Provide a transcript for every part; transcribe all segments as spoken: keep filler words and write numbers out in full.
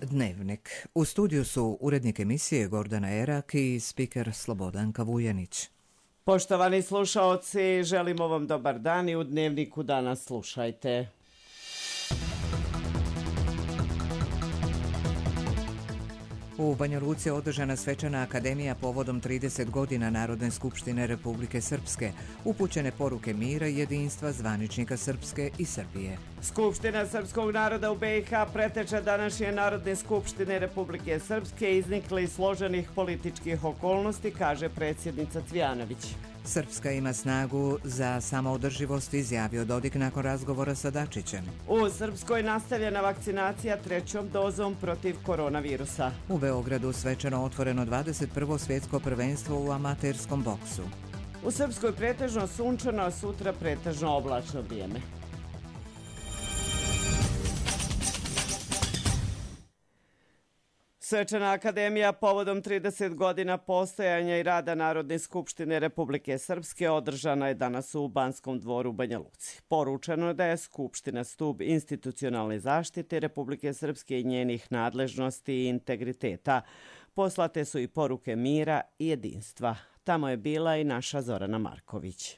Dnevnik. U studiju su urednik emisije Gordana Erak i spiker Slobodanka Vujanić. Poštovani slušaoci, želimo vam dobar dan i u Dnevniku danas slušajte. U Banja Luci je održana svečana akademija povodom trideset godina Narodne skupštine Republike Srpske, upućene poruke mira i jedinstva zvaničnika Srpske i Srbije. Skupština srpskog naroda u B i H preteče današnje Narodne skupštine Republike Srpske iznikle iz složenih političkih okolnosti, kaže predsjednica Cvijanović. Srpska ima snagu za samoodrživost, izjavio Dodik nakon razgovora sa Dačićem. U Srpskoj nastavljena vakcinacija trećom dozom protiv koronavirusa. U Beogradu svečano otvoreno dvadeset prvo svjetsko prvenstvo u amaterskom boksu. U Srpskoj pretežno sunčano, a sutra pretežno oblačno vrijeme. Svečana akademija povodom trideset godina postojanja i rada Narodne skupštine Republike Srpske održana je danas u Banskom dvoru u Banja Luci. Poručeno je da je Skupština stub institucionalne zaštite Republike Srpske i njenih nadležnosti i integriteta. Poslate su i poruke mira i jedinstva. Tamo je bila i naša Zorana Marković.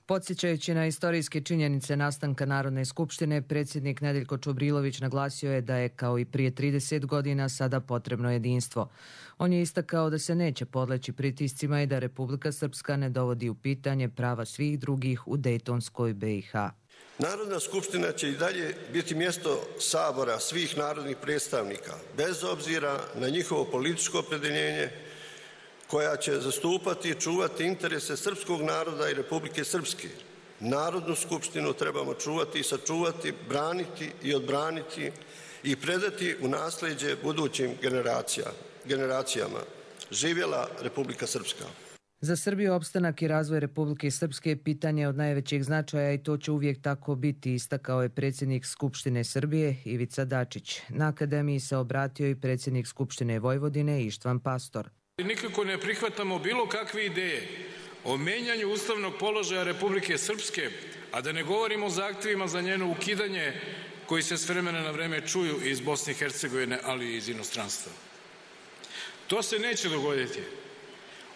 Podsjećajući na istorijske činjenice nastanka Narodne skupštine, predsjednik Nedeljko Čobrilović naglasio je da je kao i prije trideset godina sada potrebno jedinstvo. On je istakao da se neće podleći pritiscima i da Republika Srpska ne dovodi u pitanje prava svih drugih u Dejtonskoj B i H. Narodna skupština će i dalje biti mjesto sabora svih narodnih predstavnika, bez obzira na njihovo političko opredjeljenje, koja će zastupati i čuvati interese srpskog naroda i Republike Srpske. Narodnu skupštinu trebamo čuvati i sačuvati, braniti i odbraniti i predati u nasljeđe budućim generacijama. Živjela Republika Srpska. Za Srbiju opstanak i razvoj Republike Srpske je pitanje od najvećeg značaja i to će uvijek tako biti, istakao je predsjednik Skupštine Srbije Ivica Dačić. Na akademiji se obratio i predsjednik Skupštine Vojvodine Ištvan Pastor. Nikako ne prihvatamo bilo kakve ideje o menjanju ustavnog položaja Republike Srpske, a da ne govorimo o zahtjevima za njeno ukidanje koji se s vremena na vreme čuju iz Bosne i Hercegovine, ali i iz inostranstva. To se neće dogoditi.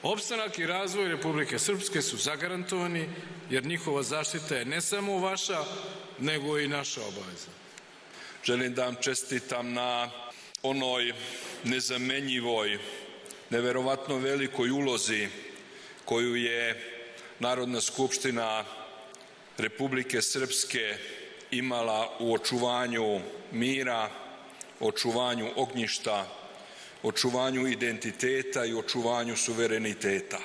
Opstanak i razvoj Republike Srpske su zagarantovani jer njihova zaštita je ne samo vaša, nego i naša obaveza. Želim da vam čestitam na onoj nezamenjivoj, neverovatno velikoj ulozi koju je Narodna skupština Republike Srpske imala u očuvanju mira, očuvanju ognjišta, očuvanju identiteta i očuvanju suvereniteta.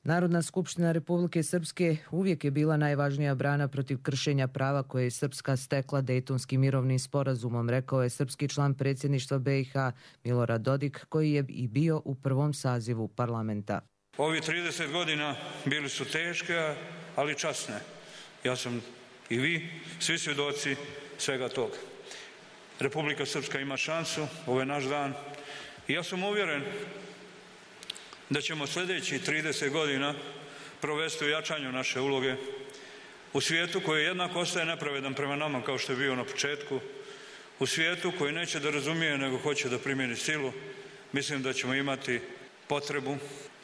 Narodna skupština Republike Srpske uvijek je bila najvažnija brana protiv kršenja prava koje je Srpska stekla Dejtonskim mirovnim sporazumom, rekao je srpski član predsjedništva B i H Milorad Dodik, koji je i bio u prvom sazivu parlamenta. Ovi trideset godina bili su teške, ali časne. Ja sam i vi, svi svjedoci svega toga. Republika Srpska ima šansu, ovo je naš dan i ja sam uvjeren da ćemo sljedećih trideset godina provesti u jačanju naše uloge u svijetu koji jednako ostaje nepravedan prema nama kao što je bio na početku, u svijetu koji neće da razumije nego hoće da primjeni silu. Mislim da ćemo imati potrebu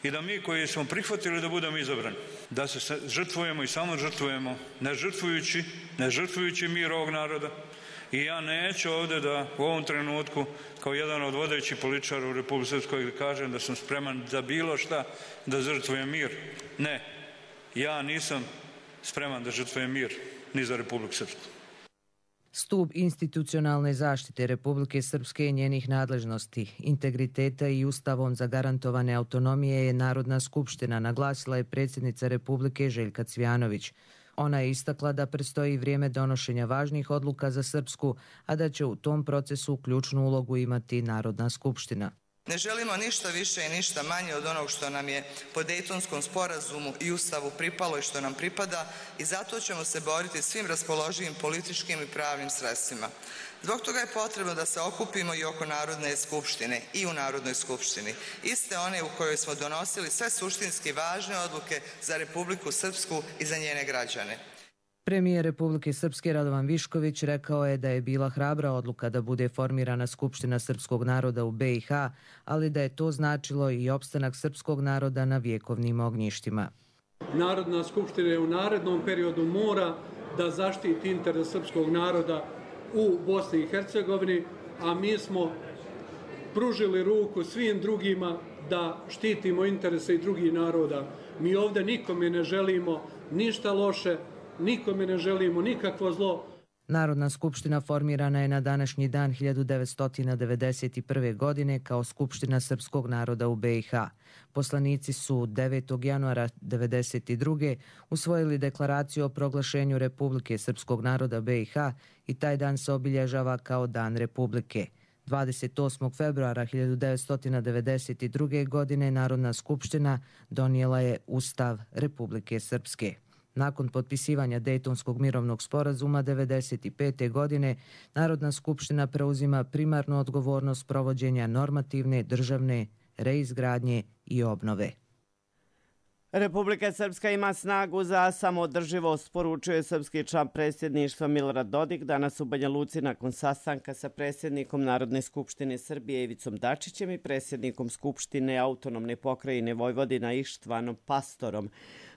i da mi koji smo prihvatili da budemo izabrani, da se žrtvujemo i samo žrtvujemo, ne žrtvujući, ne žrtvujući mir ovog naroda. I ja neću ovdje da u ovom trenutku kao jedan od vodećih političara u Republike Srpskoj kažem da sam spreman za bilo šta da žrtvujem mir. Ne, ja nisam spreman da žrtvujem mir ni za Republiku Srpsku. Stub institucionalne zaštite Republike Srpske i njenih nadležnosti, integriteta i ustavom zagarantovane autonomije je Narodna skupština, naglasila je predsjednica Republike Željka Cvijanović. Ona je istakla da predstoji vrijeme donošenja važnih odluka za Srpsku, a da će u tom procesu ključnu ulogu imati Narodna skupština. Ne želimo ništa više i ništa manje od onog što nam je po Dejtonskom sporazumu i ustavu pripalo i što nam pripada i zato ćemo se boriti svim raspoloživim političkim i pravnim sredstvima. Zbog toga je potrebno da se okupimo i oko Narodne skupštine i u Narodnoj skupštini, iste one u kojoj smo donosili sve suštinski važne odluke za Republiku Srpsku i za njene građane. Premijer Republike Srpske Radovan Višković rekao je da je bila hrabra odluka da bude formirana Skupština srpskog naroda u be i ha, ali da je to značilo i opstanak srpskog naroda na vjekovnim ognjištima. Narodna skupština u narednom periodu mora da zaštiti interes srpskog naroda u Bosni i Hercegovini, a mi smo pružili ruku svim drugima da štitimo interese i drugih naroda. Mi ovdje nikome ne želimo ništa loše, nikome ne želimo nikakvo zlo. Narodna skupština formirana je na današnji dan hiljadu devetsto devedeset prve. godine kao Skupština srpskog naroda u be i ha. Poslanici su devetog januara devedeset druge. usvojili deklaraciju o proglašenju Republike srpskog naroda be i ha i taj dan se obilježava kao Dan Republike. dvadeset osmog februara hiljadu devetsto devedeset druge. godine Narodna skupština donijela je Ustav Republike Srpske. Nakon potpisivanja Dejtonskog mirovnog sporazuma devedeset pete. godine Narodna skupština preuzima primarnu odgovornost provođenja normativne, državne, reizgradnje i obnove. Republika Srpska ima snagu za samoodrživost, poručuje srpski član predsjedništva Milorad Dodik danas u Banja Luci nakon sastanka sa predsjednikom Narodne skupštine Srbije Ivicom Dačićem i predsjednikom Skupštine autonomne pokrajine Vojvodina Ištvanom Pastorom.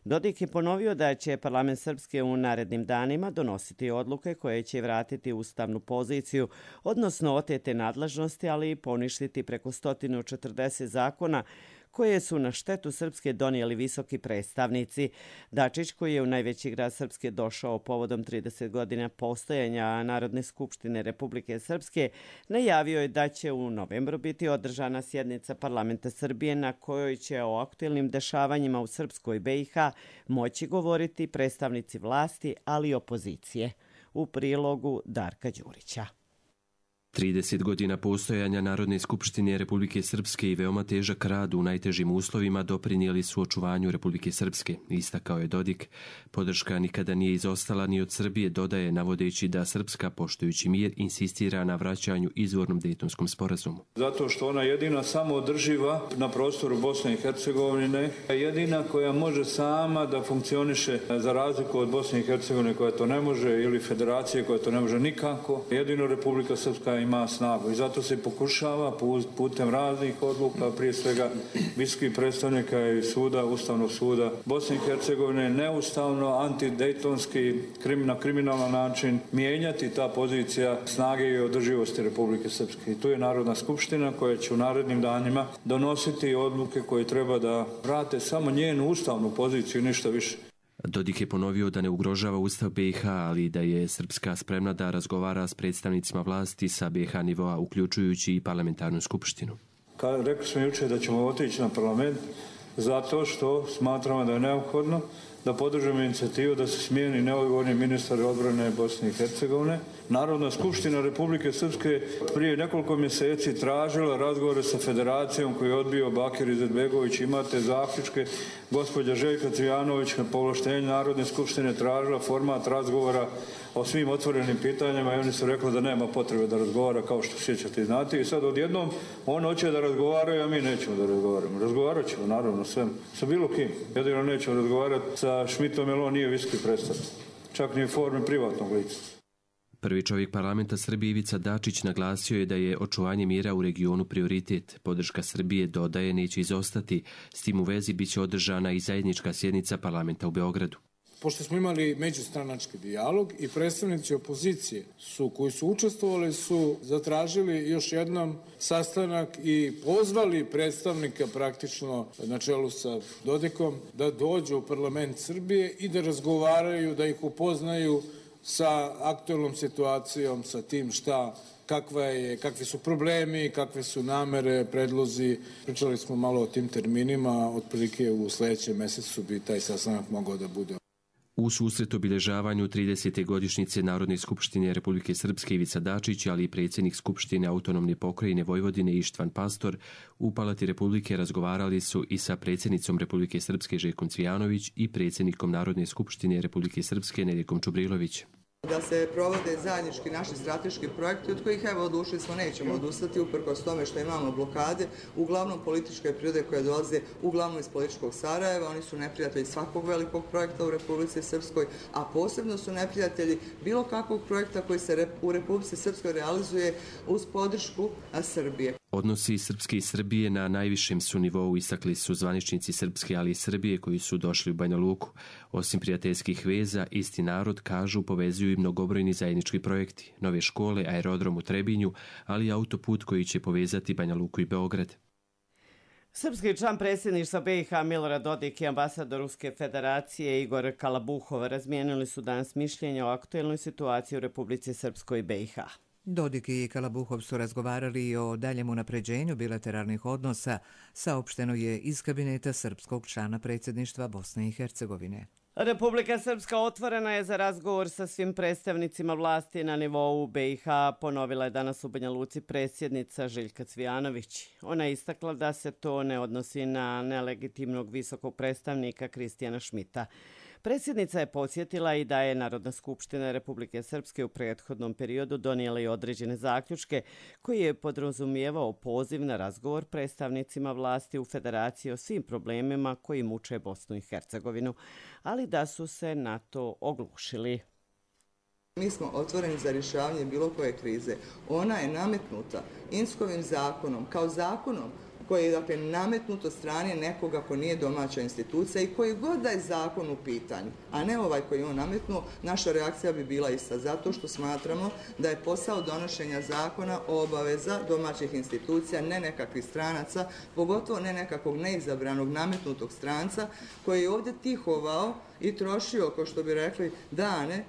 Dodik je ponovio da će parlament Srpske u narednim danima donositi odluke koje će vratiti ustavnu poziciju, odnosno otete nadležnosti, ali i poništiti preko sto četrdeset zakona koje su na štetu Srpske donijeli visoki predstavnici. Dačić, koji je u najveći grad Srpske došao povodom trideset godina postojanja Narodne skupštine Republike Srpske, najavio je da će u novembru biti održana sjednica parlamenta Srbije na kojoj će o aktuelnim dešavanjima u Srpskoj be i ha moći govoriti predstavnici vlasti, ali i opozicije. U prilogu Darka Đurića. trideset godina postojanja Narodne skupštine Republike Srpske i veoma težak rad u najtežim uslovima doprinijeli su očuvanju Republike Srpske, istakao je Dodik. Podrška nikada nije izostala ni od Srbije, dodaje, navodeći da Srpska, poštujući mir, insistira na vraćanju izvornom Dejtonskom sporazumu. Zato što ona jedina samoodrživa na prostoru Bosne i Hercegovine, jedina koja može sama da funkcioniše za razliku od Bosne i Hercegovine koja to ne može ili federacije koja to ne može nikako. Jedino Republika Srpska ima snagu i zato se pokušava putem raznih odluka, prije svega visokih predstavnika i suda, Ustavnog suda Bosne i Hercegovine, neustavno, antidejtonski, na kriminalan način mijenjati ta pozicija snage i održivosti Republike Srpske. I tu je Narodna skupština koja će u narednim danima donositi odluke koje treba da vrate samo njenu ustavnu poziciju, ništa više. Dodik je ponovio da ne ugrožava Ustav be i ha, ali da je Srpska spremna da razgovara s predstavnicima vlasti sa be i ha nivoa, uključujući i parlamentarnu skupštinu. Ka, rekli smo jučer da ćemo otići na parlament zato što smatramo da je neophodno da podržimo inicijativu da se smijeni neodgovorni ministar odbrane Bosne i Hercegovine. Narodna skupština Republike Srpske prije nekoliko mjeseci tražila razgovore sa federacijom koju je odbio Bakir Izetbegović. Imate zaključke. Gospođa Željka Cvijanović na povlaštenju Narodne skupštine tražila format razgovora o svim otvorenim pitanjima i oni su rekli da nema potrebe da razgovara, kao što sjećate i znate. I sad odjednom on hoće da razgovaraju, a mi nećemo da razgovaramo. Razgovarat ćemo naravno sve, sa bilo kim. Jedino nećemo razgovarati sa Šmitom jer on nije visoki predstavnik. Čak ni u formi privatnog lica. Prvi čovjek parlamenta Srbije Ivica Dačić naglasio je da je očuvanje mira u regionu prioritet. Podrška Srbije, dodaje, neće izostati. S tim u vezi biće održana i zajednička sjednica parlamenta u Beogradu. Pošto smo imali međustranački dijalog i predstavnici opozicije su, koji su učestvovali su zatražili još jednom sastanak i pozvali predstavnika praktično na čelu sa Dodikom da dođu u parlament Srbije i da razgovaraju, da ih upoznaju sa aktuelnom situacijom, sa tim šta, kakva je, kakvi su problemi, kakve su namere, predlozi. Pričali smo malo o tim terminima, otprilike u sljedećem mjesecu bi taj sastanak mogao da bude. U susret obilježavanju tridesete godišnjice Narodne skupštine Republike Srpske Ivica Dačić, ali i predsjednik Skupštine autonomne pokrajine Vojvodine Ištvan Pastor, u Palati Republike razgovarali su i sa predsjednicom Republike Srpske Željkom Cvijanović i predsjednikom Narodne skupštine Republike Srpske Nedjeljkom Čubrilović. Da se provode zajednički naši strateški projekti od kojih evo odlučili smo nećemo odustati uprkos tome što imamo blokade, uglavnom političke prirode koje dolaze uglavnom iz političkog Sarajeva. Oni su neprijatelji svakog velikog projekta u Republici Srpskoj, a posebno su neprijatelji bilo kakvog projekta koji se u Republici Srpskoj realizuje uz podršku Srbije. Odnosi Srpske i Srbije na najvišem su nivou, istakli su zvaničnici Srpske, ali i Srbije koji su došli u Banja Luku. Osim prijateljskih veza, isti narod, kažu, povezuju i mnogobrojni zajednički projekti, nove škole, aerodrom u Trebinju, ali i autoput koji će povezati Banja Luku i Beograd. Srpski član predsjedništva B i H Milorad Dodik i ambasador Ruske federacije Igor Kalabuhov razmijenili su danas mišljenja o aktuelnoj situaciji u Republici Srpskoj i B i H. Dodik i Kalabuhov su razgovarali i o daljem unapređenju bilateralnih odnosa, saopšteno je iz kabineta srpskog člana predsjedništva Bosne i Hercegovine. Republika Srpska otvorena je za razgovor sa svim predstavnicima vlasti na nivou B i H, ponovila je danas u Banja Luci predsjednica Željka Cvijanović. Ona je istakla da se to ne odnosi na nelegitimnog visokog predstavnika Kristijana Šmita. Predsjednica je podsjetila i da je Narodna skupština Republike Srpske u prethodnom periodu donijela i određene zaključke koji je podrazumijevao poziv na razgovor predstavnicima vlasti u federaciji o svim problemima koji muče Bosnu i Hercegovinu, ali da su se na to oglušili. Mi smo otvoreni za rješavanje bilo koje krize. Ona je nametnuta Inskovim zakonom kao zakonom koji je dakle, nametnut od strane nekoga ko nije domaća institucija i koji god da je zakon u pitanju, a ne ovaj koji je on nametnuo, naša reakcija bi bila ista, zato što smatramo da je posao donošenja zakona obaveza domaćih institucija, ne nekakvih stranaca, pogotovo ne nekakvog neizabranog nametnutog stranca koji je ovdje tihovao i trošio, kao što bi rekli, dane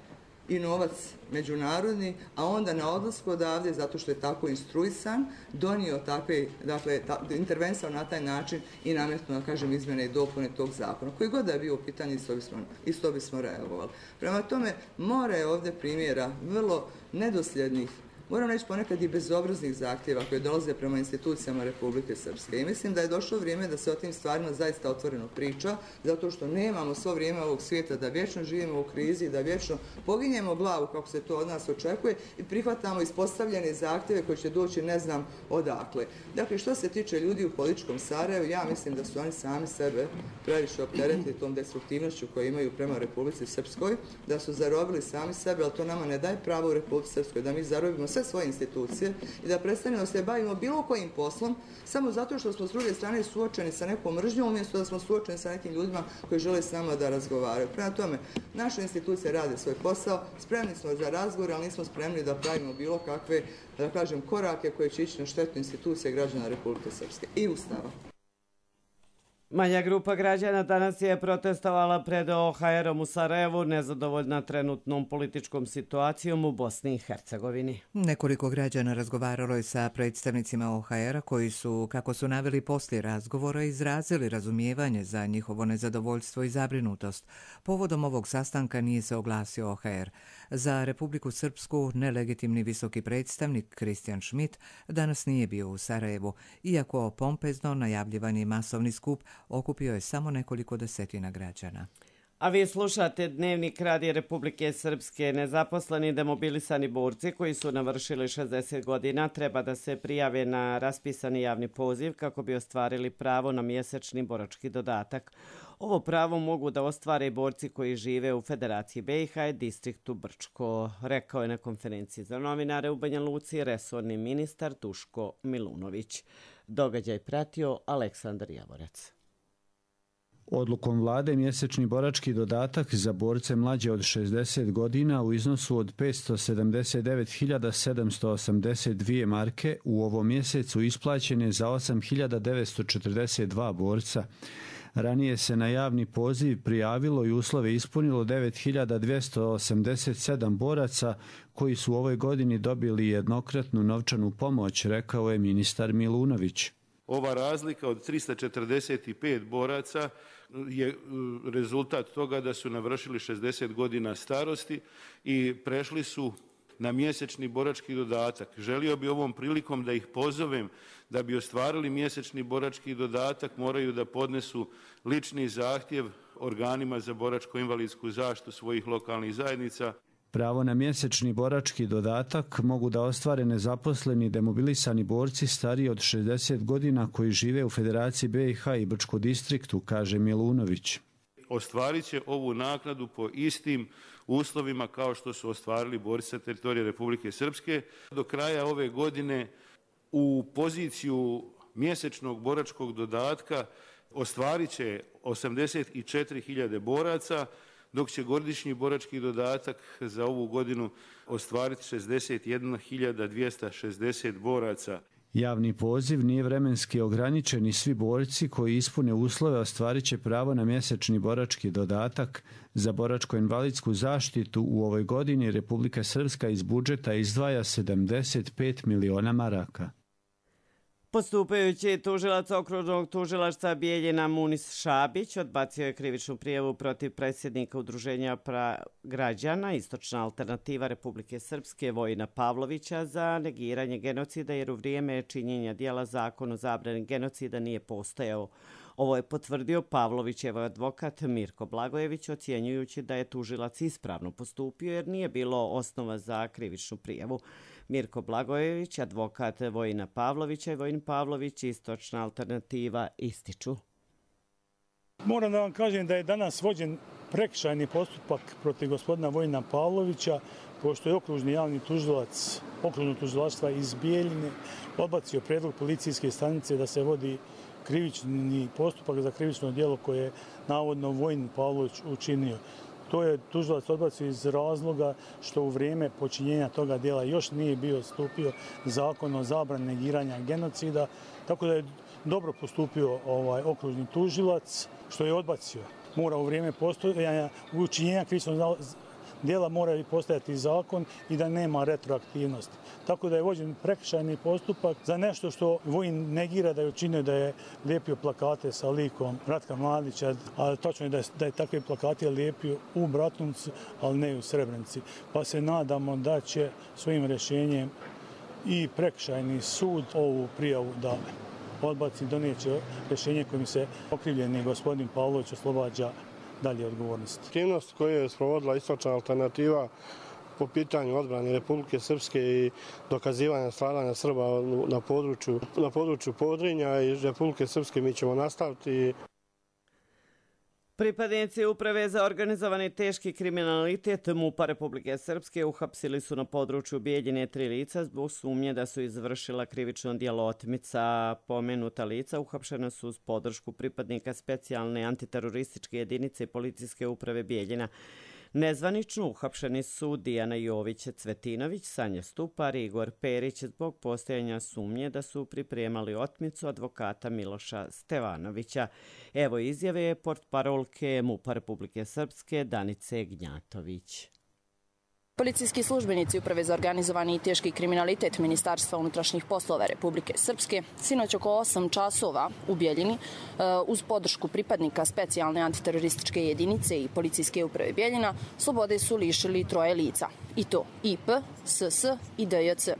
i novac međunarodni, a onda na odlasku odavde, zato što je tako instruisan, donio takve, dakle, ta, intervensao na taj način i nametnuo, da kažem, izmjene i dopune tog zakona. Koji god da je bio u pitanju, isto bismo, isto bismo reagovali. Prema tome, mora je ovdje primjera vrlo nedosljednih, moram reći ponekad i bezobraznih zahtjeva koje dolaze prema institucijama Republike Srpske. I mislim da je došlo vrijeme da se o tim stvarima zaista otvoreno priča, zato što nemamo svo vrijeme ovog svijeta da vječno živimo u krizi, da vječno poginjemo glavu kako se to od nas očekuje i prihvatamo ispostavljene zahtjeve koji će doći ne znam odakle. Dakle, što se tiče ljudi u političkom Sarajevu, ja mislim da su oni sami sebe previše opteretili tom destruktivnošću koju imaju prema Republici Srpskoj, da su zarobili sami sebe, ali to nama ne daje pravo u Republici Srpskoj da mi zarobimo sve svoje institucije i da prestanemo se bavimo bilo kojim poslom samo zato što smo s druge strane suočeni sa nekom mržnjom umjesto da smo suočeni sa nekim ljudima koji žele s nama da razgovaraju. Prema tome, naše institucije rade svoj posao, spremni smo za razgovor, ali nismo spremni da pravimo bilo kakve, da kažem, korake koje će ići na štetu institucije građana Republike Srpske i Ustava. Manja grupa građana danas je protestovala pred O H R-om u Sarajevu, nezadovoljna trenutnom političkom situacijom u Bosni i Hercegovini. Nekoliko građana razgovaralo je sa predstavnicima O H R-a koji su, kako su naveli poslije razgovora, izrazili razumijevanje za njihovo nezadovoljstvo i zabrinutost. Povodom ovog sastanka nije se oglasio O H R. Za Republiku Srpsku nelegitimni visoki predstavnik Kristijan Šmit danas nije bio u Sarajevu, iako pompezno najavljivani masovni skup okupio je samo nekoliko desetina građana. A vi slušate Dnevnik Radija Republike Srpske. Nezaposleni demobilisani borci koji su navršili šezdeset godina treba da se prijave na raspisani javni poziv kako bi ostvarili pravo na mjesečni borački dodatak. Ovo pravo mogu da ostvare i borci koji žive u Federaciji B i H i distriktu Brčko, rekao je na konferenciji za novinare u Banja Luci resorni ministar Duško Milunović. Događaj pratio Aleksandar Javorac. Odlukom vlade mjesečni borački dodatak za borce mlađe od šezdeset godina u iznosu od petsto sedamdeset devet hiljada sedamsto osamdeset dvije marke u ovom mjesecu isplaćen je za osam hiljada devetsto četrdeset dva borca. Ranije se na javni poziv prijavilo i uslove ispunilo devet hiljada dvjesto osamdeset sedam boraca koji su u ovoj godini dobili jednokratnu novčanu pomoć, rekao je ministar Milunović. Ova razlika od trista četrdeset pet boraca je rezultat toga da su navršili šezdeset godina starosti i prešli su na mjesečni borački dodatak. Želio bi ovom prilikom da ih pozovem da bi ostvarili mjesečni borački dodatak, moraju da podnesu lični zahtjev organima za boračko-invalidsku zaštitu svojih lokalnih zajednica. Pravo na mjesečni borački dodatak mogu da ostvare nezaposleni demobilisani borci stariji od šezdeset godina koji žive u Federaciji B i H i Brčko distriktu, kaže Milunović. Ostvarit će ovu naknadu po istim uslovima kao što su ostvarili borci sa teritorije Republike Srpske. Do kraja ove godine u poziciju mjesečnog boračkog dodatka ostvarit će osamdeset četiri hiljade boraca, dok će godišnji borački dodatak za ovu godinu ostvariti šezdeset jedna hiljada dvjesto šezdeset boraca. Javni poziv nije vremenski ograničen i svi borci koji ispune uslove ostvarit će pravo na mjesečni borački dodatak. Za boračko-invalidsku zaštitu u ovoj godini Republika Srpska iz budžeta izdvaja sedamdeset pet miliona maraka. Postupajući tužilac okružnog tužilaštva Bijeljina Munis Šabić odbacio je krivičnu prijavu protiv predsjednika Udruženja građana Istočna alternativa Republike Srpske Vojina Pavlovića za negiranje genocida jer u vrijeme činjenja dijela zakon o zabrani genocida nije postojao. Ovo je potvrdio Pavlovićev advokat Mirko Blagojević ocjenjujući da je tužilac ispravno postupio jer nije bilo osnova za krivičnu prijavu. Mirko Blagojević, advokat Vojina Pavlovića i Vojin Pavlović, Istočna alternativa, ističu. Moram da vam kažem da je danas vođen prekršajni postupak protiv gospodina Vojina Pavlovića, pošto je okružni javni tužilac okružnog tužilaštva iz Bijeljine odbacio prijedlog policijske stanice da se vodi krivični postupak za krivično djelo koje je navodno Vojin Pavlović učinio. To je tužilac odbacio iz razloga što u vrijeme počinjenja toga djela još nije bio stupio zakon o zabrani negiranja genocida, tako da je dobro postupio ovaj okružni tužilac što je odbacio. Mora u vrijeme postojanja učinjenja krivičnog djela mora i postojati zakon i da nema retroaktivnosti. Tako da je vođen prekršajni postupak za nešto što Vojin negira da je učinio, da je lijepio plakate sa likom Ratka Mladića, a točno je da je, da je takve plakate lijepio u Bratuncu, ali ne u Srebrenici. Pa se nadamo da će svojim rješenjem i prekršajni sud ovu prijavu da odbaci, donijeće rješenje kojim se okrivljeni gospodin Pavlović oslobađa dalje odgovornosti. Aktivnost koju je sprovodila Istočna alternativa po pitanju odbrane Republike Srpske i dokazivanja stradanja Srba na području, na području Podrinja i Republike Srpske mi ćemo nastaviti. Pripadnici Uprave za organizovani teški kriminalitet MUP-a Republike Srpske uhapsili su na području Bijeljine tri lica zbog sumnje da su izvršila krivično djelo otmica. Pomenuta lica uhapšena su uz podršku pripadnika specijalne antiterorističke jedinice policijske uprave Bijeljina. Nezvanično uhapšeni su Dijana Jović-Cvetinović, Sanja Stupar i Igor Perić zbog postojanja sumnje da su pripremali otmicu advokata Miloša Stevanovića. Evo izjave portparolke MUP-a Republike Srpske Danice Gnjatović. Policijski službenici Uprave za organizovani i teški kriminalitet Ministarstva unutrašnjih poslova Republike Srpske sinoć oko osam časova u Bijeljini uz podršku pripadnika specijalne antiterorističke jedinice i policijske uprave Bijeljina slobode su lišili troje lica. I to I P, S S i D J C.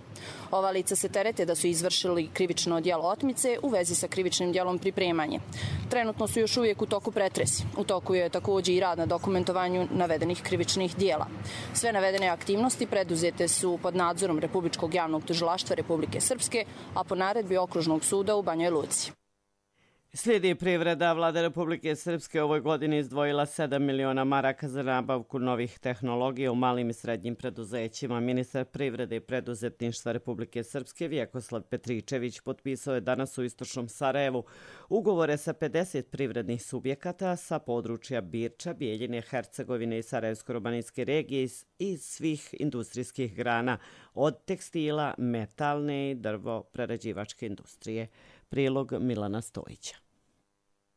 Ova lica se terete da su izvršili krivično djelo otmice u vezi sa krivičnim djelom pripremanje. Trenutno su još uvijek u toku pretresi. U toku je također i rad na dokumentovanju navedenih krivičnih djela. Sve navedene aktivnosti preduzete su pod nadzorom Republičkog javnog tužilaštva Republike Srpske, a po naredbi Okružnog suda u Banjoj Luci. Slijedi privreda. Vlada Republike Srpske ovoj godini izdvojila sedam miliona maraka za nabavku novih tehnologija u malim i srednjim preduzećima. Ministar privrede i preduzetništva Republike Srpske Vjekoslav Petričević potpisao je danas u istočnom Sarajevu ugovore sa pedeset privrednih subjekata sa područja Birča, Bijeljine, Hercegovine i Sarajevsko-robanijske regije iz svih industrijskih grana, od tekstila, metalne i drvo-prerađivačke industrije. Prilog Milana Stojića.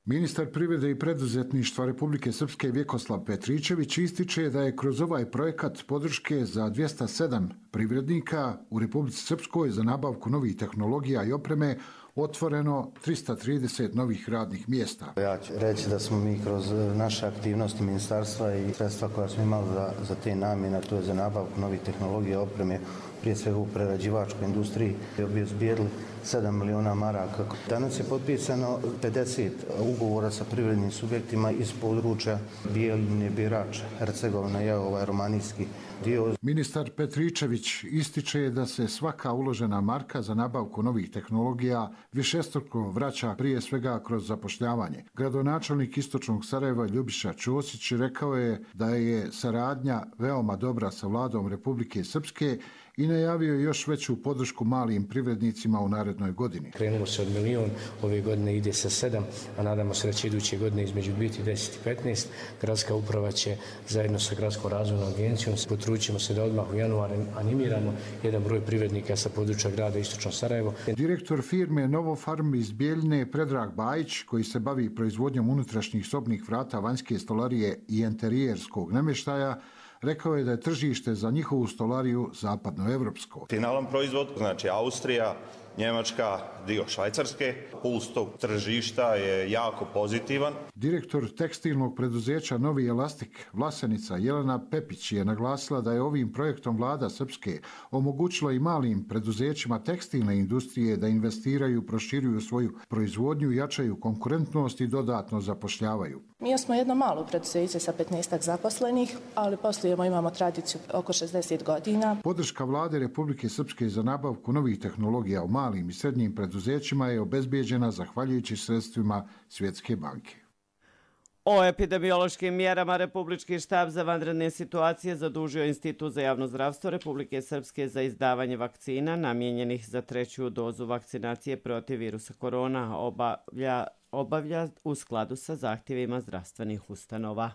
Ministar privrede i preduzetništva Republike Srpske Vjekoslav Petričević ističe da je kroz ovaj projekat podrške za dvjesto sedam privrednika u Republici Srpskoj za nabavku novih tehnologija i opreme otvoreno trista trideset novih radnih mjesta. Ja ću reći da smo mi kroz naše aktivnosti ministarstva i sredstva koja smo imali za, za te namjene, to je za nabavku novih tehnologija i opreme, prije svega u prerađivačkoj industriji, obezbijedili sedam miliona maraka. Danas je potpisano pedeset ugovora sa privrednim subjektima iz područja Bijeljine, Birač, Hercegovina, je ovaj romanijski dio. Ministar Petričević ističe da se svaka uložena marka za nabavku novih tehnologija višestruko vraća prije svega kroz zapošljavanje. Gradonačelnik Istočnog Sarajeva Ljubiša Ćosić rekao je da je saradnja veoma dobra sa vladom Republike Srpske i najavio još veću podršku malim privrednicima u narednoj godini. Krenulo se od milion, ove godine ide sa sedam, a nadamo se da će iduće godine između biti deset i petnaest. Gradska uprava će zajedno sa Gradskom razvojnom agencijom potrudit se da odmah u januaru animiramo jedan broj privrednika sa područja grada Istočno Sarajevo. Direktor firme Novofarm iz Bijeljine Predrag Bajić, koji se bavi proizvodnjom unutrašnjih sobnih vrata, vanjske stolarije i enterijerskog namještaja, rekao je da je tržište za njihovu stolariju zapadnoevropsko. Finalan proizvod, znači Austrija, Njemačka, dio Švajcarske, puls tog tržišta je jako pozitivan. Direktor tekstilnog preduzeća Novi Elastik Vlasenica Jelena Pepić je naglasila da je ovim projektom vlada Srpske omogućila i malim preduzećima tekstilne industrije da investiraju, proširuju svoju proizvodnju, jačaju konkurentnost i dodatno zapošljavaju. Mi smo jedno malo preduzeće sa petnaestak zaposlenih, ali poslujemo, imamo tradiciju oko šezdeset godina. Podrška vlade Republike Srpske za nabavku novih tehnologija u malim i srednjim preduzećima je obezbijeđena zahvaljujući sredstvima Svjetske banke. O epidemiološkim mjerama Republički štab za vanredne situacije zadužio Institut za javno zdravstvo Republike Srpske za izdavanje vakcina namijenjenih za treću dozu vakcinacije protiv virusa korona, obavlja, obavlja u skladu sa zahtjevima zdravstvenih ustanova.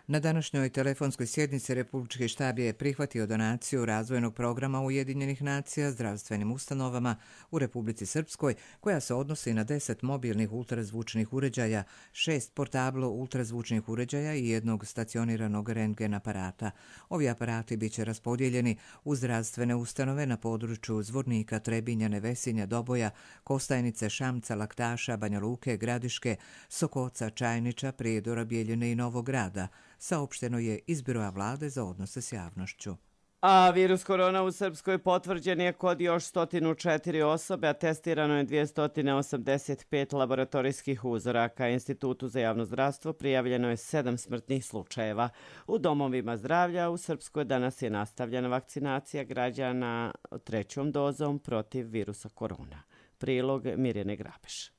Na današnjoj telefonskoj sjednici Republički štab je prihvatio donaciju razvojnog programa Ujedinjenih nacija zdravstvenim ustanovama u Republici Srpskoj, koja se odnosi na deset mobilnih ultrazvučnih uređaja, šest portablo ultrazvučnih uređaja i jednog stacioniranog rentgen aparata. Ovi aparati biće raspodijeljeni u zdravstvene ustanove na području Zvornika, Trebinja, Nevesinja, Doboja, Kostajnice, Šamca, Laktaša, Banja Luke, Gradiške, Sokoca, Čajniča, Prijedora, Bijeljine i Novog Grada, saopšteno je iz Biroa vlade za odnose s javnošću. A virus korona u Srpskoj potvrđen je kod još sto četiri osobe, a testirano je dvjesto osamdeset pet laboratorijskih uzoraka. Institutu za javno zdravstvo prijavljeno je sedam smrtnih slučajeva. U domovima zdravlja u Srpskoj danas je nastavljena vakcinacija građana trećom dozom protiv virusa korona. Prilog Mirjane Grabeš.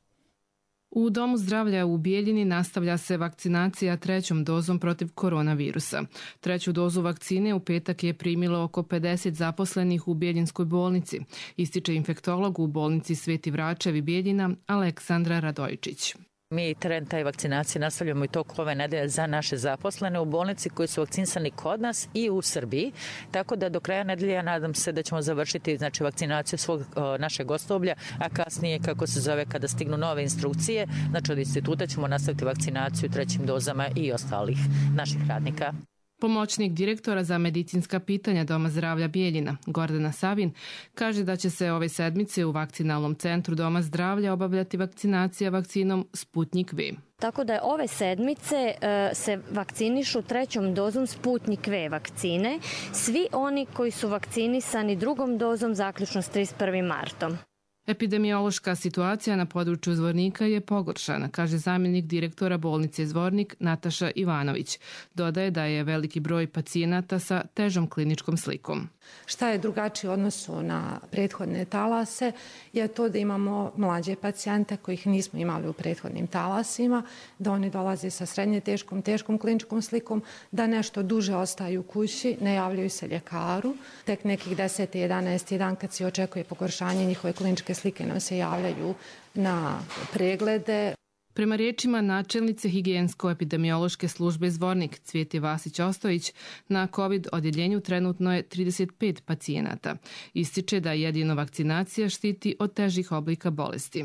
U Domu zdravlja u Bijeljini nastavlja se vakcinacija trećom dozom protiv koronavirusa. Treću dozu vakcine u petak je primilo oko pedeset zaposlenih u Bijeljinskoj bolnici, ističe infektolog u bolnici Sveti Vračevi Bijeljina Aleksandra Radojičić. Mi teren taj vakcinacije nastavljamo i tokom ove nedelje za naše zaposlene u bolnici koji su vakcinisani kod nas i u Srbiji. Tako da do kraja nedelje ja nadam se da ćemo završiti znači, vakcinaciju svog o, našeg osoblja, a kasnije, kako se zove, kada stignu nove instrukcije, znači od instituta ćemo nastaviti vakcinaciju trećim dozama i ostalih naših radnika. Pomoćnik direktora za medicinska pitanja Doma zdravlja Bijeljina, Gordana Savin, kaže da će se ove sedmice u vakcinalnom centru Doma zdravlja obavljati vakcinacija vakcinom Sputnik V. Tako da ove sedmice e, se vakcinišu trećom dozom Sputnik V vakcine, svi oni koji su vakcinisani drugom dozom zaključno s trideset prvim martom. Epidemiološka situacija na području Zvornika je pogoršana, kaže zamjenik direktora bolnice Zvornik Nataša Ivanović. Dodaje da je veliki broj pacijenata sa težom kliničkom slikom. Šta je drugačije u odnosu na prethodne talase je to da imamo mlađe pacijente kojih nismo imali u prethodnim talasima, da oni dolaze sa srednje teškom, teškom kliničkom slikom, da nešto duže ostaju u kući, ne javljaju se ljekaru. Tek nekih deset jedanaest dan kad se očekuje pogoršanje njihove kliničke slike nam se javljaju na preglede. Prema riječima načelnice higijensko-epidemiološke službe Zvornik Cvijete Vasić-Ostojić, na COVID odjeljenju trenutno je trideset pet pacijenata. Ističe da jedino vakcinacija štiti od težih oblika bolesti.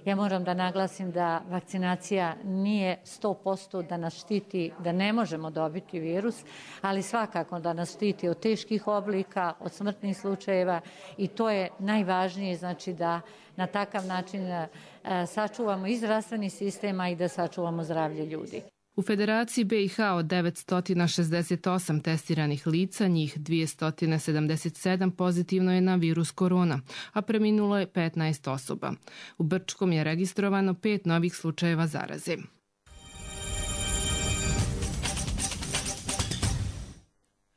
Ja moram da naglasim da vakcinacija nije sto posto da nas štiti, da ne možemo dobiti virus, ali svakako da nas štiti od teških oblika, od smrtnih slučajeva i to je najvažnije, znači da na takav način sačuvamo i zdravstveni sistem, a i da sačuvamo zdravlje ljudi. U Federaciji B i H od devetsto šezdeset osam testiranih lica, njih dvjesto sedamdeset sedam pozitivno je na virus korona, a preminulo je petnaest osoba. U Brčkom je registrovano pet novih slučajeva zaraze.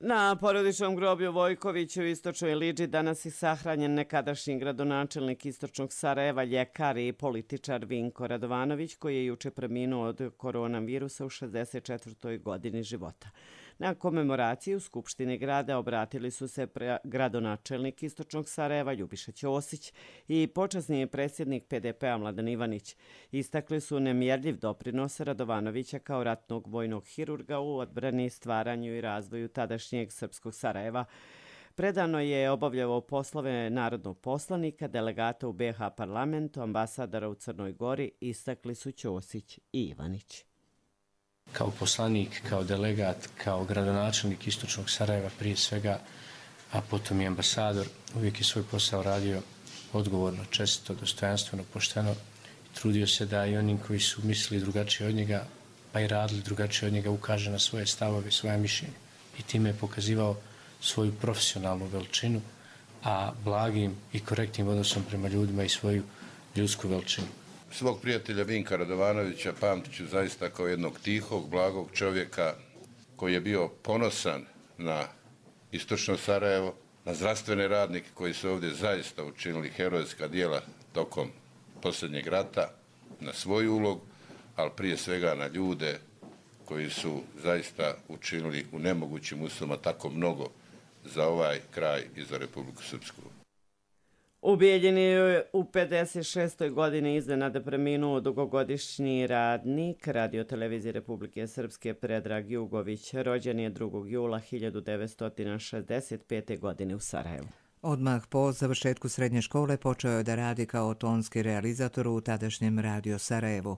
Na porodičnom groblju Vojkoviću u istočnoj Liđi danas je sahranjen nekadašnji gradonačelnik istočnog Sarajeva, ljekar i političar Vinko Radovanović, koji je juče preminuo od koronavirusa u šezdeset četvrtoj godini života. Na komemoraciji u Skupštini grada obratili su se gradonačelnik istočnog Sarajeva Ljubiša Ćosić i počasni predsjednik P D P-a Mladen Ivanić. Istakli su nemjerljiv doprinos Radovanovića kao ratnog vojnog hirurga u odbrani, stvaranju i razvoju tadašnjeg srpskog Sarajeva. Predano je obavljao poslove narodnog poslanika, delegata u B H parlamentu, ambasadora u Crnoj Gori, istakli su Ćosić i Ivanić. Kao poslanik, kao delegat, kao gradonačelnik istočnog Sarajeva prije svega, a potom i ambasador, uvijek je svoj posao radio odgovorno, čestito, dostojanstveno, pošteno i trudio se da i onim koji su mislili drugačije od njega, pa i radili drugačije od njega, ukaže na svoje stavove, svoje mišljenje. I time je pokazivao svoju profesionalnu veličinu, a blagim i korektnim odnosom prema ljudima i svoju ljudsku veličinu. Svog prijatelja Vinka Radovanovića pamtit ću zaista kao jednog tihog, blagog čovjeka koji je bio ponosan na istočno Sarajevo, na zdravstvene radnike koji su ovdje zaista učinili herojska djela tokom posljednjeg rata, na svoju ulogu, ali prije svega na ljude koji su zaista učinili u nemogućim uslovima tako mnogo za ovaj kraj i za Republiku Srpsku. U Bijeljini je u pedeset šestoj godini iznenada preminuo dugogodišnji radnik Radio-televizije Republike Srpske Predrag Jugović. Rođen je drugog jula hiljadu devetsto šezdeset pete. godine u Sarajevu. Odmah po završetku srednje škole počeo je da radi kao tonski realizator u tadašnjem Radio Sarajevu.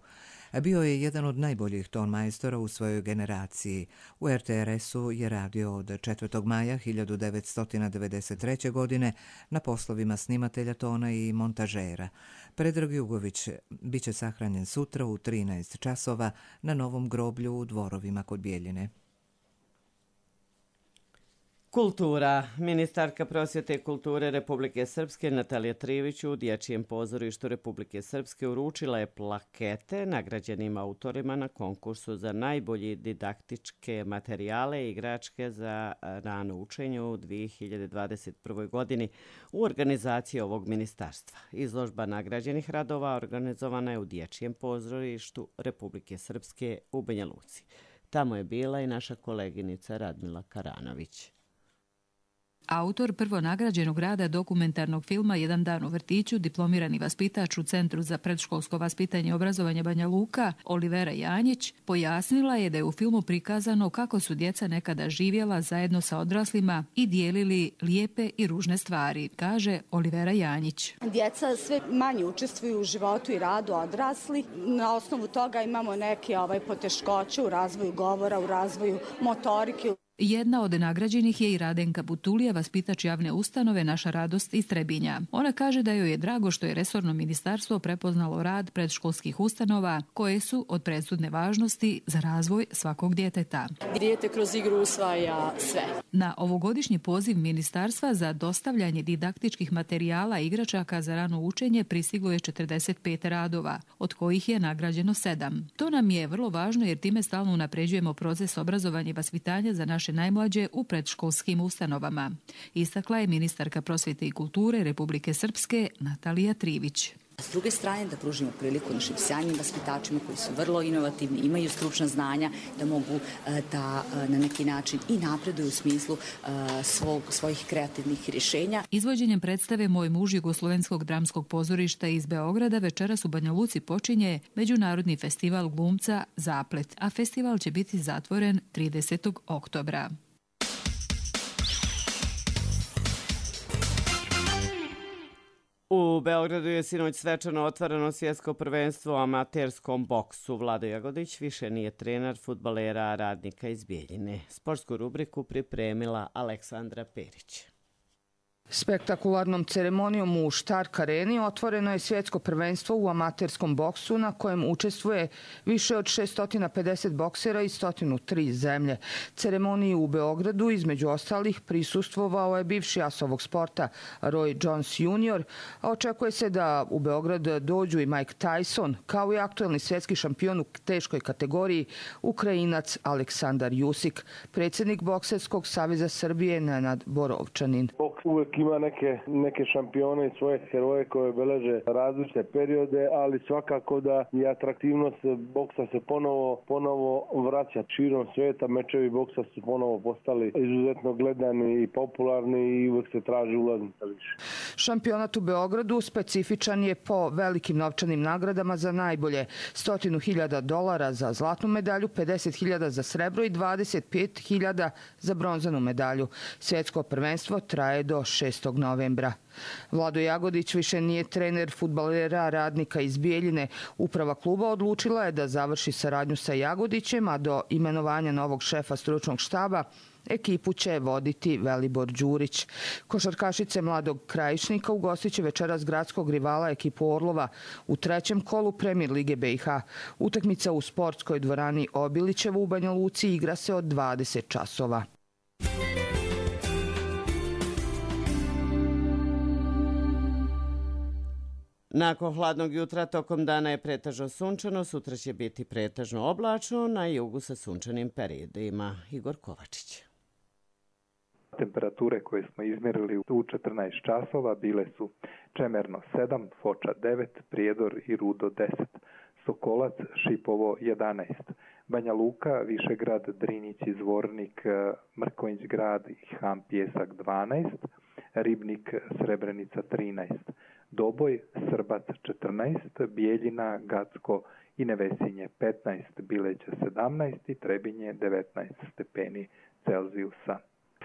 Bio je jedan od najboljih ton majstora u svojoj generaciji. U R T R S-u je radio od četvrtog maja hiljadu devetsto devedeset treće. godine na poslovima snimatelja tona i montažera. Predrag Jugović biće sahranjen sutra u trinaest časova na novom groblju u Dvorovima kod Bijeljine. Kultura. Ministarka prosvjete i kulture Republike Srpske Natalija Trivić u Dječjem pozorištu Republike Srpske uručila je plakete nagrađenim autorima na konkursu za najbolji didaktičke materijale i igračke za rano učenje u dvije hiljade dvadeset prvoj. godini u organizaciji ovog ministarstva. Izložba nagrađenih radova organizovana je u Dječjem pozorištu Republike Srpske u Banja Luci. Tamo je bila i naša koleginica Radmila Karanović. Autor prvonagrađenog rada dokumentarnog filma Jedan dan u vrtiću, diplomirani vaspitač u Centru za predškolsko vaspitanje i obrazovanje Banja Luka, Olivera Janjić, pojasnila je da je u filmu prikazano kako su djeca nekada živjela zajedno sa odraslima i dijelili lijepe i ružne stvari, kaže Olivera Janjić. Djeca sve manje učestvuju u životu i radu odrasli. Na osnovu toga imamo neke ovaj, poteškoće u razvoju govora, u razvoju motorike. Jedna od nagrađenih je i Radenka Butulija, vaspitač javne ustanove Naša radost iz Trebinja. Ona kaže da joj je drago što je resorno ministarstvo prepoznalo rad predškolskih ustanova koje su od presudne važnosti za razvoj svakog djeteta. Dijete kroz igru usvaja sve. Na ovogodišnji poziv ministarstva za dostavljanje didaktičkih materijala i igračaka za rano učenje pristiglo je četrdeset pet radova, od kojih je nagrađeno sedam. To nam je vrlo važno jer time stalno unapređujemo proces obrazovanja i vaspitanja za naše najmlađe u predškolskim ustanovama, istakla je ministarka prosvjete i kulture Republike Srpske Natalija Trivić. S druge strane da pružimo priliku našim sjajnim vaspitačima koji su vrlo inovativni, imaju stručna znanja da mogu da na neki način i napreduju u smislu svog, svojih kreativnih rješenja. Izvođenjem predstave Moj muž Jugoslovenskog dramskog pozorišta iz Beograda večeras u Banja Luci počinje Međunarodni festival glumca Zaplet, a festival će biti zatvoren tridesetog oktobra. U Beogradu je sinoć svečano otvoreno svjetsko prvenstvo u amaterskom boksu. Vlado Jagodić više nije trener fudbalera Radnika iz Bijeljine. Sportsku rubriku pripremila Aleksandra Perić. Spektakularnom ceremonijom u Stark Areni otvoreno je svjetsko prvenstvo u amaterskom boksu na kojem učestvuje više od šesto pedeset boksera iz sto tri zemlje. Ceremoniji u Beogradu između ostalih prisustvovao je bivši as ovog sporta Roy Jones junior, a očekuje se da u Beograd dođu i Mike Tyson, kao i aktuelni svjetski šampion u teškoj kategoriji Ukrajinac Aleksandar Jusik. Predsjednik Bokserskog saveza Srbije Nenad Borovčanin. Uvijek ima neke, neke šampione i svoje heroje koje beleže različite periode, ali svakako da i atraktivnost boksa se ponovo, ponovo vraća širom svijeta. Mečevi boksa su ponovo postali izuzetno gledani i popularni i uvijek se traži ulaznica više. Šampionat u Beogradu specifičan je po velikim novčanim nagradama za najbolje. Stotinu hiljada dolara za zlatnu medalju, pedeset hiljada za srebro i dvadeset pet hiljada za bronzanu medalju. Svjetsko prvenstvo traje do šestog novembra. Vlado Jagodić više nije trener fudbalera Radnika iz Bijeljine. Uprava kluba odlučila je da završi saradnju sa Jagodićem, a do imenovanja novog šefa stručnog štaba ekipu će voditi Velibor Đurić. Košarkašice Mladog Krajišnika ugostit će večeras gradskog rivala ekipu Orlova u trećem kolu Premijer Lige B i H. Utakmica u sportskoj dvorani Obilićevo u Banja Luci igra se od dvadeset časova. Nakon hladnog jutra tokom dana je pretežno sunčano, sutra će biti pretežno oblačno, na jugu sa sunčanim periodima. Igor Kovačić. Temperature koje smo izmjerili u četrnaest časova bile su Čemerno sedam, Foča devet, Prijedor i Rudo deset, Sokolac, Šipovo jedanaest, Banja Luka, Višegrad, Drinjić, Zvornik, Mrkonjić grad i Ham Pjesak dvanaest, Ribnik, Srebrenica trinaest, Doboj, Srbac četrnaest, Bijeljina, Gacko i Nevesinje petnaest, Bileća sedamnaest i Trebinje devetnaest stepeni Celzijusa.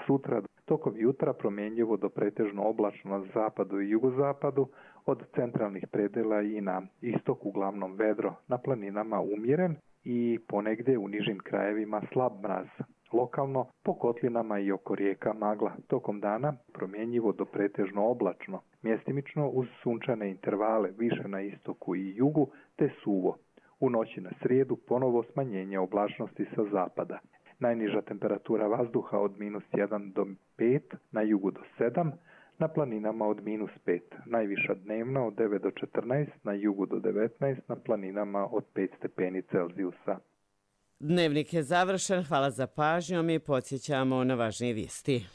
Sutra tokom jutra promjenjivo do pretežno oblačno na zapadu i jugozapadu, od centralnih predela i na istok uglavnom vedro, na planinama umjeren i ponegdje u nižim krajevima slab mraz. Lokalno po kotlinama i oko rijeka magla. Tokom dana promjenjivo do pretežno oblačno, mjestimično uz sunčane intervale više na istoku i jugu te suvo. U noći na srijedu ponovo smanjenje oblačnosti sa zapada. Najniža temperatura vazduha od minus jedan do pet, na jugu do sedam, na planinama od minus pet. Najviša dnevna od devet do četrnaest, na jugu do devetnaest, na planinama od pet stepeni Celzijusa. Dnevnik je završen, hvala za pažnjom i podsjećamo na važnije vijesti.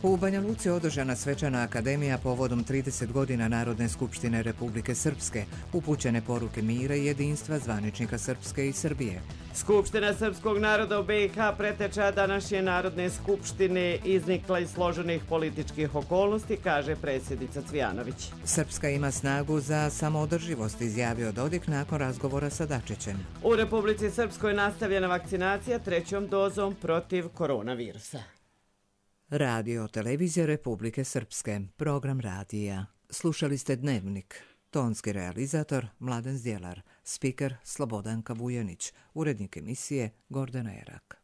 U Banja Luci održana svečana akademija povodom trideset godina Narodne skupštine Republike Srpske, upućene poruke mira i jedinstva zvaničnika Srpske i Srbije. Skupština srpskog naroda u B i H preteča današnje Narodne skupštine iznikla iz složenih političkih okolnosti, kaže predsjednica Cvijanović. Srpska ima snagu za samoodrživost, izjavio Dodik nakon razgovora sa Dačićem. U Republici Srpskoj nastavljena vakcinacija trećom dozom protiv koronavirusa. Radio Televizija Republike Srpske, program radija. Slušali ste Dnevnik. Tonski realizator Mladen Zdjelar, spiker Slobodanka Vujanić, urednik emisije Gordana Erak.